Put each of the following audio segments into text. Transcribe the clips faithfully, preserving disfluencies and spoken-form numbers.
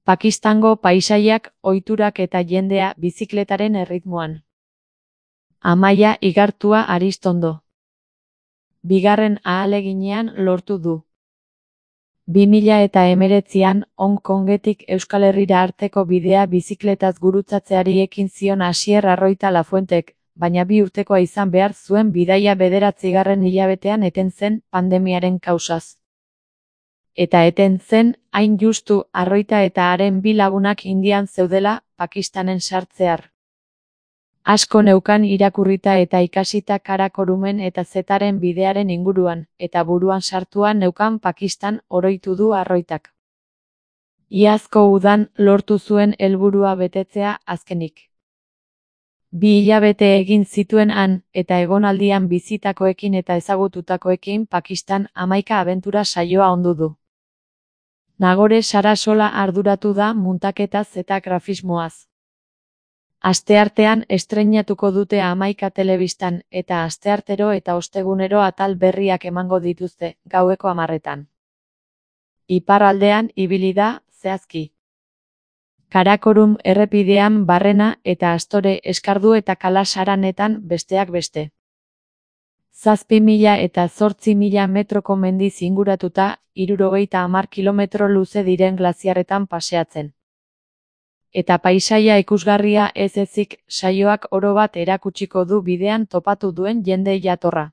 Pakistango paisaiak, ohiturak eta jendea bizikletaren erritmoan. Amaia Igartua Aristondo. Bigarren ahaleginean lortu du. bi mila eta hemeretzian Hong Kongetik Euskal Herrira arteko bidea bizikletaz gurutzatzeari ekin zion Asier Arroita Lafuentek, baina bi urtekoa izan behar zuen bidaia bederatzigarren hilabetean eten zen pandemiaren kausaz. Eta eten zen, hain justu, Arroita eta haren bi lagunak Indian zeudela, Pakistanen sartzear. Asko neukan irakurrita eta ikasita Karakorumen eta Zetaren bidearen inguruan, eta buruan sartua neukan Pakistan oroitu du Arroitak. Iazko udan lortu zuen helburua betetzea azkenik. Bi hilabete egin zituen han, eta egonaldian bizitakoekin eta ezagututakoekin Pakistan hamaika abentura saioa ondu du. Nagore Sarasola arduratu da muntaketaz eta grafismoaz. Asteartean estreinatuko dute hamaika telebistan, eta asteartero eta ostegunero atal berriak emango dituzte, gaueko hamarretan. Iparraldean ibili da, zehazki. Karakorum errepidean Barrena eta Astore Eskardu eta Kalasaranetan besteak beste. Zazpi mila eta zortzi mila metroko mendiz inguratuta, hirurogeita hamar kilometro luze diren glaziarretan paseatzen. Eta paisaia ikusgarria ez ezik saioak oro bat erakutsiko du bidean topatu duen jende jatorra.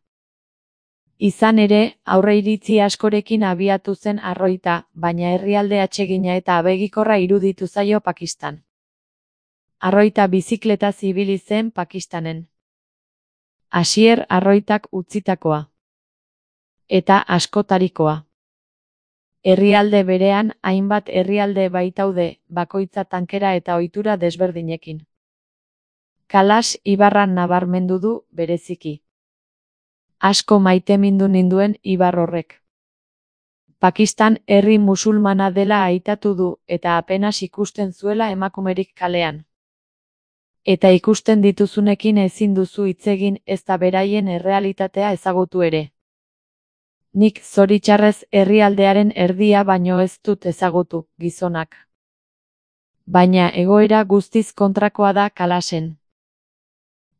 Izan ere, aurreiritzi askorekin abiatu zen Arroita, baina herrialde atsegina eta abegikorra iruditu zaio Pakistan. Arroita bizikletaz ibili zen Pakistanen. Asier Arroitak utzitakoa. Eta askotarikoa. Herrialde berean hainbat herrialde baitaude, bakoitza tankera eta ohitura desberdinekin. Kalas ibarra nabarmendu du bereziki. Asko maitemindu ninduen ibar horrek. Pakistan herri musulmana dela aitatu du eta apenas ikusten zuela emakumerik kalean. Eta ikusten dituzunekin ezin duzu hitz egin ez da beraien errealitatea ezagutu ere. Nik zoritxarrez herrialdearen erdia baino ez dut ezagutu, gizonak. Baina egoera guztiz kontrakoa da Kalasen.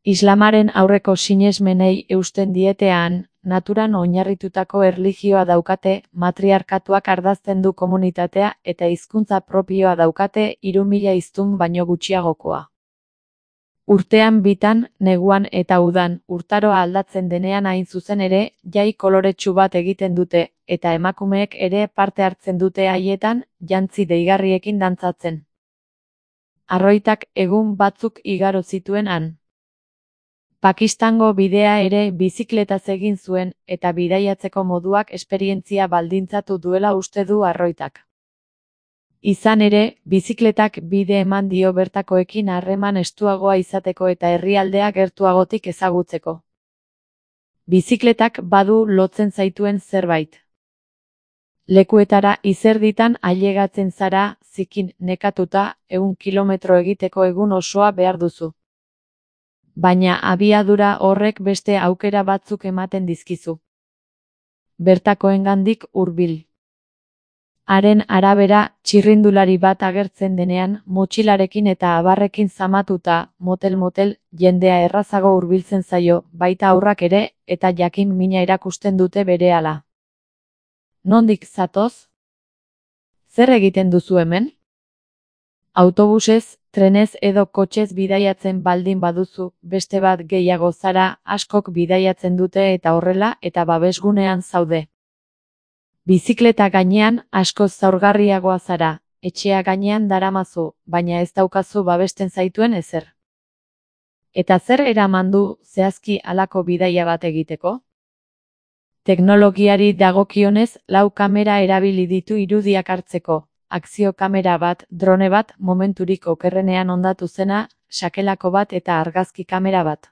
Islamaren aurreko sinesmenei eusten dietean, naturan oinarritutako erlijioa daukate, matriarkatuak ardazten du komunitatea eta hizkuntza propioa daukate hiru mila hiztun baino gutxiagokoa. Urtean bitan, neguan eta udan, urtaroa aldatzen denean hain zuzen ere, jai koloretsu bat egiten dute, eta emakumeek ere parte hartzen dute haietan, jantzi deigarriekin dantzatzen. Arroitak egun batzuk igaro zituen han. Pakistango bidea ere bizikletaz egin zuen, eta bidaiatzeko moduak esperientzia baldintzatu duela uste du Arroitak. Izan ere, bizikletak bide eman dio bertakoekin harreman estuagoa izateko eta herrialdea gertuagotik ezagutzeko. Bizikletak badu lotzen zaituen zerbait. Lekuetara izerditan ailegatzen zara, zikin nekatuta, ehun kilometro egiteko egun osoa behar duzu. Baina abiadura horrek beste aukera batzuk ematen dizkizu. Bertakoengandik hurbil. Haren arabera, txirrindulari bat agertzen denean, motxilarekin eta abarrekin zamatuta, motel-motel, jendea errazago hurbiltzen zaio, baita aurrak ere, eta jakin mina erakusten dute berehala. Nondik zatoz? Zer egiten duzu hemen? Autobusez, trenez edo kotxez bidaiatzen baldin baduzu, beste bat gehiago zara, askok bidaiatzen dute eta horrela, eta babesgunean zaude. Bizikleta gainean askoz zaurgarriagoa zara, etxea gainean daramazu, baina ez daukazu babesten zaituen ezer. Eta zer eraman du zehazki halako bidaia bat egiteko? Teknologiari dagokionez lau kamera erabili ditu irudiak hartzeko, akzio kamera bat, drone bat, momenturik okerrenean hondatu zena, sakelako bat eta argazki kamera bat.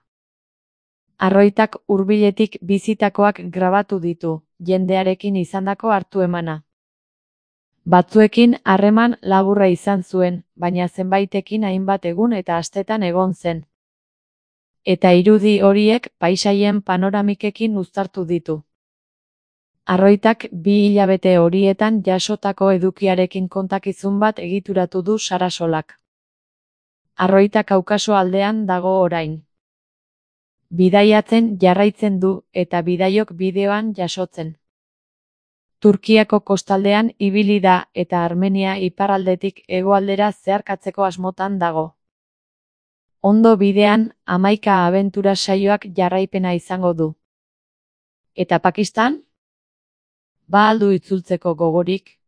Arroitak hurbiletik bizitakoak grabatu ditu, jendearekin izandako hartu emana. Batzuekin harreman laburra izan zuen, baina zenbaitekin hainbat egun eta astetan egon zen. Eta irudi horiek paisaien panoramikekin uztartu ditu. Arroitak bi hilabete horietan jasotako edukiarekin kontakizun bat egituratu du Sarasolak. Arroita Kaukaso aldean dago orain. Bidaiatzen jarraitzen du eta bidaiok bideoan jasotzen. Turkiako kostaldean ibili da eta Armenia iparraldetik hegoaldera zeharkatzeko asmotan dago. Ondo bidean, hamaika abentura saioak jarraipena izango du. Eta Pakistan? Ba al du itzultzeko gogorik?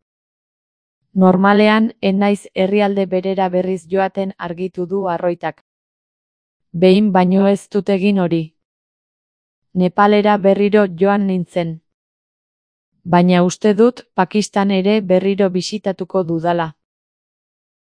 Normalean, ez naiz herrialde berera berriz joaten argitu du Arroitak. Behin baino ez dut egin hori. Nepalera berriro joan nintzen. Baina uste dut Pakistan ere berriro bisitatuko dudala.